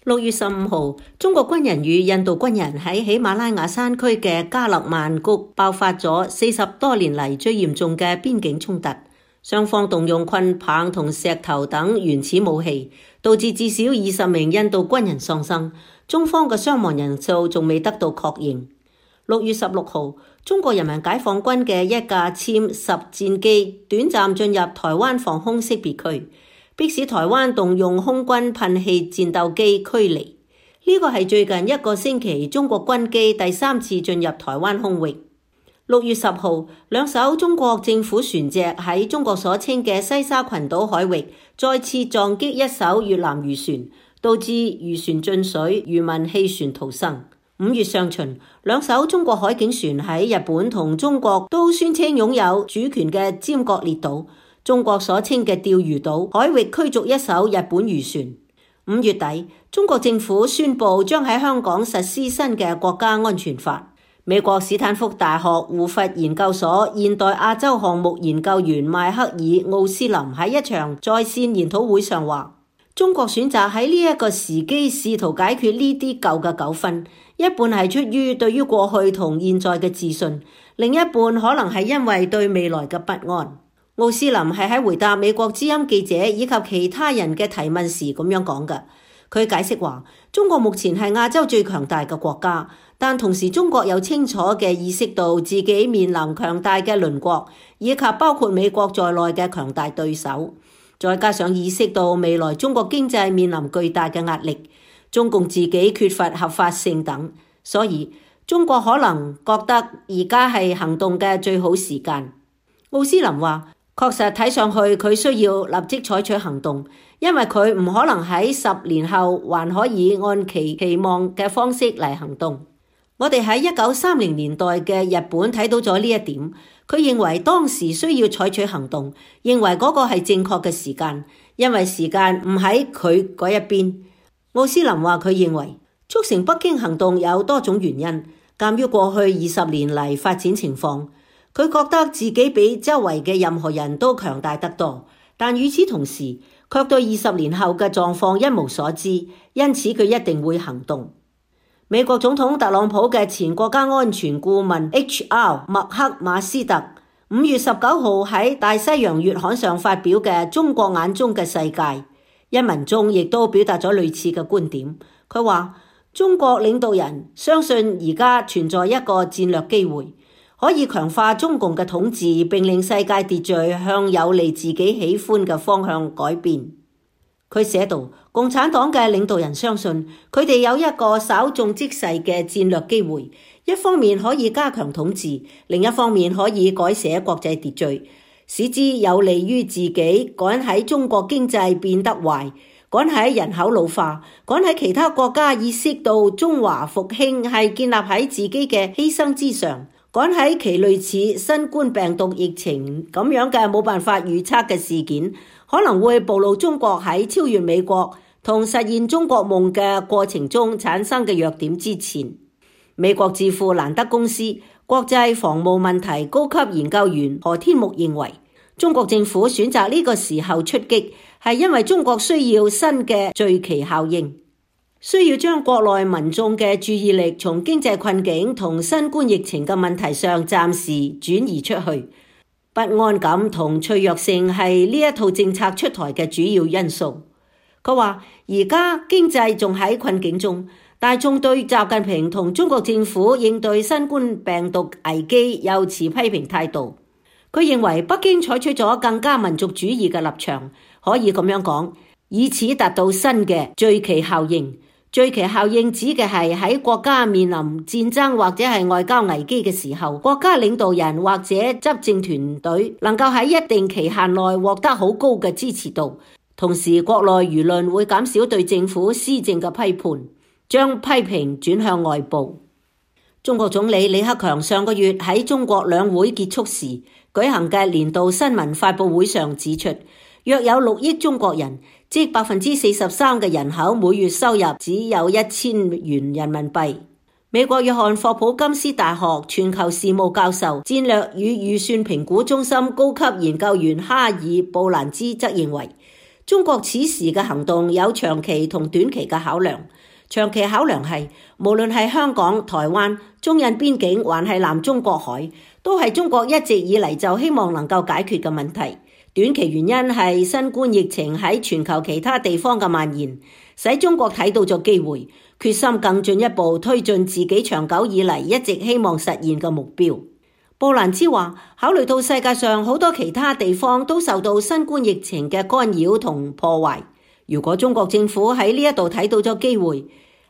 6月15號，中國軍人與印度軍人喺喜馬拉雅山區嘅加勒萬谷爆發咗40多年嚟最嚴重嘅邊境衝突，雙方動用棍棒同石頭等原始武器，導致至少20名印度軍人喪生，中方嘅傷亡人數仲未得到確認。6月16號，中國人民解放軍嘅一架殲10戰機短暫進入台灣防空識別區，迫使台灣動用空軍噴氣戰鬥機驅離。呢個係最近一個星期中國軍機第3次進入台灣空域。6月10號，兩艘中國政府船隻喺中國所稱嘅西沙群島海域再次撞擊一艘越南漁船，導致漁船進水，漁民棄船逃生。5月上旬，兩艘中國海警船喺日本同中國都宣稱擁有主權嘅尖閣列島，中國所稱嘅釣魚島海域驅逐一艘日本漁船。5月底，中國政府宣布將喺香港實施新嘅國家安全法。美國史坦福大學胡佛研究所現代亞洲項目研究員邁克爾奧斯林喺一場在線研討會上話，中國選擇喺呢一個時機試圖解決呢啲舊嘅糾紛，一半係出於對於過去同現在嘅自信，另一半可能係因為對未來嘅不安。奧斯林係喺回答美國之音記者以及其他人嘅提問時咁樣講嘅。佢解釋話，中國目前係亞洲最強大嘅國家，但同時中國有清楚嘅意識到自己面臨強大嘅鄰國，以及包括美國在內嘅強大對手。再加上意識到未來中國經濟面臨巨大嘅壓力，中共自己缺乏合法性等，所以中國可能覺得而家係行動嘅最好時間。奧斯林話，確實睇上去佢需要立即採取行動，因為佢唔可能喺10年後還可以按其期望嘅方式嚟行動。我哋喺1930年代嘅日本睇到咗呢一點。佢認為當時需要採取行動，認為嗰個係正確嘅時間，因為時間唔喺佢嗰一邊。奧斯林話佢認為促成北京行動有多種原因，鑑於過去20年嚟發展情況，佢覺得自己比周圍嘅任何人都強大得多，但與此同時卻對20年後嘅狀況一無所知，因此佢一定會行動。美國總統特朗普嘅前國家安全顧問 H.R. 麥克馬斯特5月19號喺大西洋月刊上發表嘅《中國眼中嘅世界》一文中，亦都表達咗類似嘅觀點。佢話中國領導人相信而家存在一個戰略機會，可以強化中共嘅統治，並令世界秩序向有利自己喜歡嘅方向改變。佢寫道，共產黨嘅領導人相信佢哋有一個稍縱即逝嘅戰略機會，一方面可以加強統治，另一方面可以改寫國際秩序，使之有利於自己趕喺中國經濟變得壞，趕喺人口老化，趕喺其他國家意識到中華復興係建立喺自己嘅犧牲之上，趕喺其類似新冠病毒疫情咁樣嘅冇辦法預測嘅事件可能會暴露中國喺超越美國同實現中國夢嘅過程中產生嘅弱點之前。美國智庫蘭德公司國際防務問題高級研究員何天木認為，中國政府選擇呢個時候出擊，係因為中國需要新嘅聚期效應，需要將國內民眾嘅注意力從經濟困境同新冠疫情嘅問題上暫時轉移出去。不安感同脆弱性係呢一套政策出台嘅主要因素。佢話而家經濟仲喺困境中，大眾對習近平同中國政府應對新冠病毒危機有持批評態度。佢認為北京採取咗更加民族主義嘅立場，可以咁樣講，以此達到新嘅聚期效應。聚期效應指嘅係喺國家面臨戰爭或者係外交危機嘅時候，國家領導人或者執政團隊能夠喺一定期限內獲得好高嘅支持度，同時國內輿論會減少對政府施政嘅批判，將批評轉向外部。中國總理李克強上個月喺中國兩會結束時舉行嘅年度新聞發佈會上指出，約有6億中國人，即 43% 嘅人口每月收入只有1000元人民幣。美國約翰霍普金斯大學全球事務教授、戰略與預算評估中心高級研究員哈爾布蘭茲則認為，中國此時嘅行動有長期同短期嘅考量。長期考量係，無論係香港、台灣、中印邊境，還係南中國海，都係中國一直以嚟就希望能夠解決嘅問題。短期原因係新冠疫情喺全球其他地方嘅蔓延，使中國睇到咗機會，決心更進一步推進自己長久以嚟一直希望實現嘅目標。布蘭茲話，考慮到世界上好多其他地方都受到新冠疫情嘅干擾同破壞，如果中國政府喺呢一度睇到咗機會，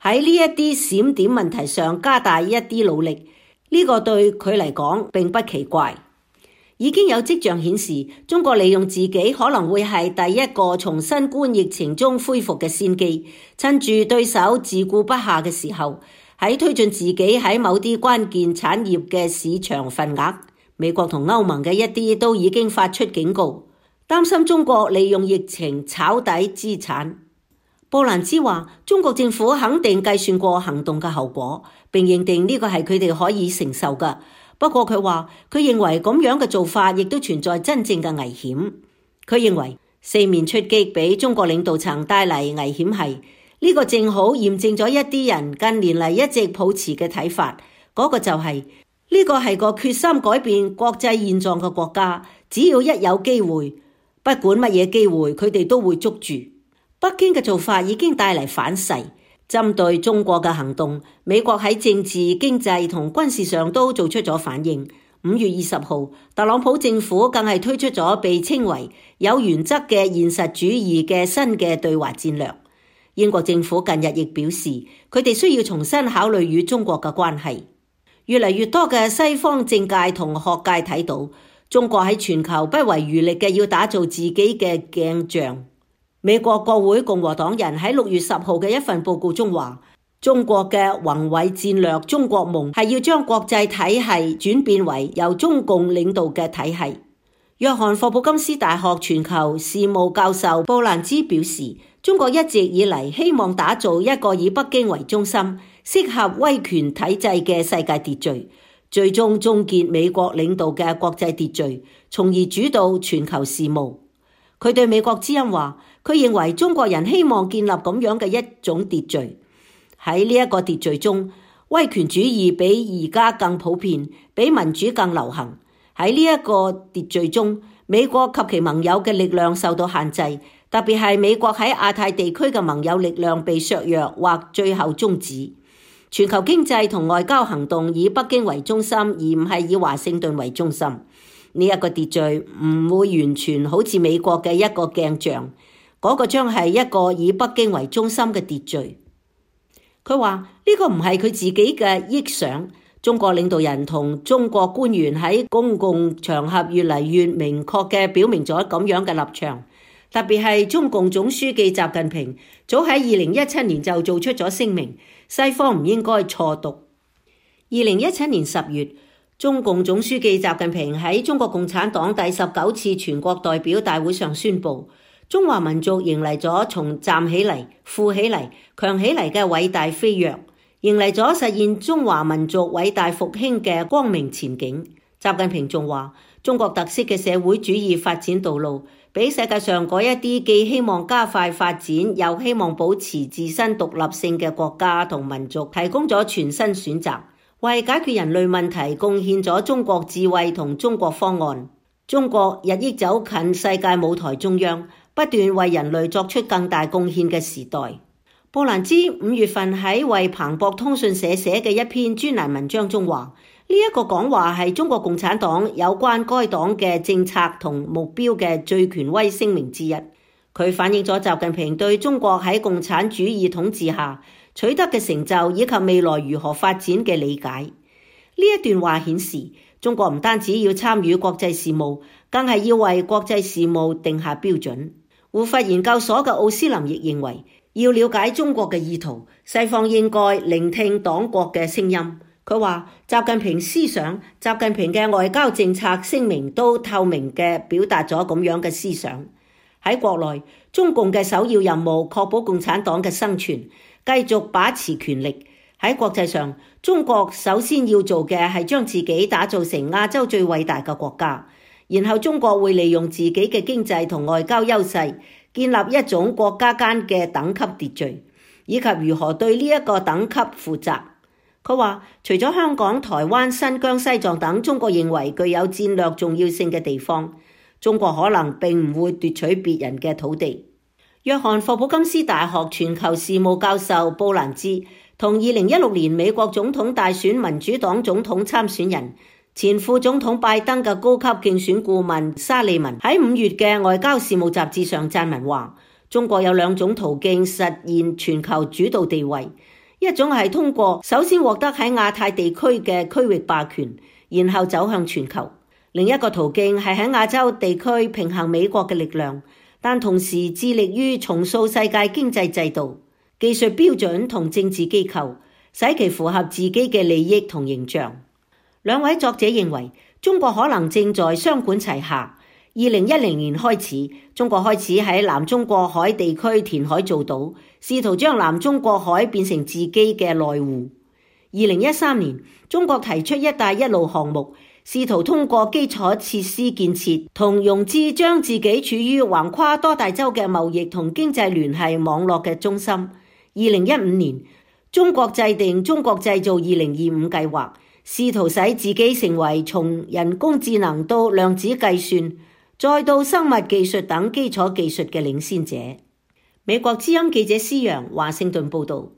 喺呢一啲閃點問題上加大一啲努力，呢個對佢嚟講並不奇怪。已經有跡象顯示，中國利用自己可能會係第一個從新冠疫情中恢復嘅先機，趁住對手自顧不暇嘅時候，喺推進自己喺某啲關鍵產業嘅市場份額。美國同歐盟嘅一啲都已經發出警告，擔心中國利用疫情炒底資產。布蘭茲話，中國政府肯定計算過行動嘅後果，並認定呢個係佢哋可以承受嘅。不過佢話，佢認為咁樣嘅做法亦都存在真正嘅危險。佢認為四面出擊俾中國領導層帶嚟危險係呢個正好驗證咗一啲人近年嚟一直抱持嘅睇法，嗰個就係呢個係個決心改變國際現狀嘅國家，只要一有機會，不管乜嘢機會，佢哋都會捉住。北京嘅做法已經帶嚟反噬，針對中國嘅行動，美國喺政治、經濟同軍事上都做出咗反應。5月20號，特朗普政府更係推出咗被稱為有原則嘅現實主義嘅新嘅對華戰略。英國政府近日亦表示，佢哋需要重新考慮與中國嘅關係。越嚟越多嘅西方政界同學界睇到，中國喺全球不遺餘力嘅要打造自己嘅鏡像。美國國會共和黨人喺6月10號嘅一份報告中話，中國嘅宏偉戰略中國夢係要將國際體系轉變為由中共領導嘅體系。約翰霍普金斯大學全球事務教授布蘭茲表示，中國一直以嚟希望打造一個以北京為中心、適合威權體制嘅世界秩序，最終終結美國領導嘅國際秩序，從而主導全球事務。佢對美國之音話，佢認為中國人希望建立咁樣嘅一種秩序。喺呢一個秩序中，威權主義比而家更普遍，比民主更流行。喺呢一個秩序中，美國及其盟友嘅力量受到限制，特別係美國喺亞太地區嘅盟友力量被削弱或最後終止。全球經濟同外交行動以北京為中心，而唔係以華盛頓為中心。呢一個秩序唔會完全好似美國嘅一個鏡像，嗰個將係一個以北京為中心嘅秩序。佢話呢個唔係佢自己嘅臆想，中國領導人同中國官員喺公共場合越嚟越明確嘅表明咗咁樣嘅立場，特別係中共總書記習近平早喺2017年就做出咗聲明，西方唔應該錯讀。2017年10月，中共總書記習近平喺中國共產黨第19次全國代表大會上宣布，中華民族迎嚟咗從站起嚟、富起嚟、強起嚟嘅偉大飛躍，迎嚟咗實現中華民族偉大復興嘅光明前景。習近平仲話，中國特色嘅社會主義發展道路，俾世界上嗰一啲既希望加快發展，又希望保持自身獨立性嘅國家同民族提供咗全新選擇，為解決人類問題貢獻咗中國智慧同中國方案。中國日益走近世界舞台中央，不斷為人類作出更大貢獻嘅時代。布蘭茲5月份喺為彭博通訊社寫嘅一篇專欄文章中話，呢一個講話係中國共產黨有關該黨嘅政策同目標嘅最權威聲明之一。佢反映咗習近平對中國喺共產主義統治下取得嘅成就以及未來如何發展嘅理解。呢一段話顯示，中國唔單止要參與國際事務，更係要為國際事務定下標準。胡佛研究所嘅奧斯林亦認為，要了解中國嘅意圖，西方應該聆聽黨國嘅聲音。佢話，習近平思想、習近平嘅外交政策聲明都透明嘅表達咗咁樣嘅思想。喺國內，中共嘅首要任務確保共產黨嘅生存，繼續把持權力。喺國際上，中國首先要做嘅係將自己打造成亞洲最偉大嘅國家，然後中國會利用自己嘅經濟同外交優勢，建立一種國家間嘅等級秩序，以及如何對呢一個等級負責。佢話，除咗香港、台灣、新疆、西藏等中國認為具有戰略重要性嘅地方，中國可能並唔會奪取別人嘅土地。約翰霍普金斯大學全球事務教授布蘭茲同2016年美國總統大選民主黨總統參選人前副總統拜登嘅高級競選顧問沙利文喺5月嘅外交事務雜誌上撰文話，中國有2種途徑實現全球主導地位，一種係通過首先獲得喺亞太地區嘅區域霸權，然後走向全球；另一個途徑係喺亞洲地區平衡美國嘅力量，但同時致力於重塑世界經濟制度、技術標準同政治機構，使其符合自己嘅利益同形象。2位作者認為，中國可能正在雙管齊下。2010年開始，中國開始喺南中國海地區填海造島，試圖將南中國海變成自己嘅內湖。2013年，中國提出一帶一路項目，試圖通過基礎設施建設同融資將自己處於橫跨多大洲嘅貿易同經濟聯繫網絡嘅中心。2015年，中國制定中國製造2025計劃，試圖使自己成為從人工智能到量子計算再到生物技術等基礎技術嘅領先者。美國之音記者施洋華盛頓報道。